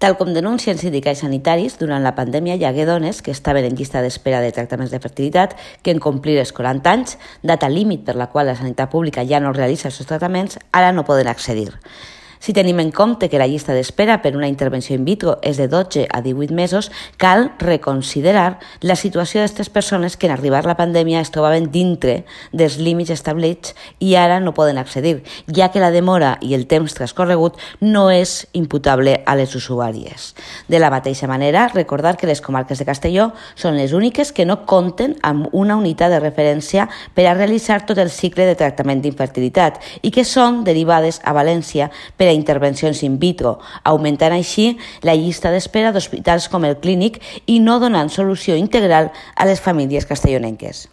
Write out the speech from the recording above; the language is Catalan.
Tal com denuncien sindicats sanitaris, durant la pandèmia hi hagué dones que estaven en llista d'espera de tractaments de fertilitat que en complir els 40 anys, data límit per la qual la sanitat pública ja no realitza els seus tractaments, ara no poden accedir. Si tenim en compte que la llista d'espera per una intervenció in vitro és de 12 a 18 mesos, cal reconsiderar la situació d'aquestes persones que en arribar la pandèmia es trobaven dintre dels límits establerts i ara no poden accedir, ja que la demora i el temps transcorregut no és imputable a les usuàries. De la mateixa manera, recordar que les comarques de Castelló són les úniques que no compten amb una unitat de referència per a realitzar tot el cicle de tractament d'infertilitat i que són derivades a València per a intervencions in vitro, augmentant així la llista d'espera d'hospitals com el Clínic i no donant solució integral a les famílies castellonenques.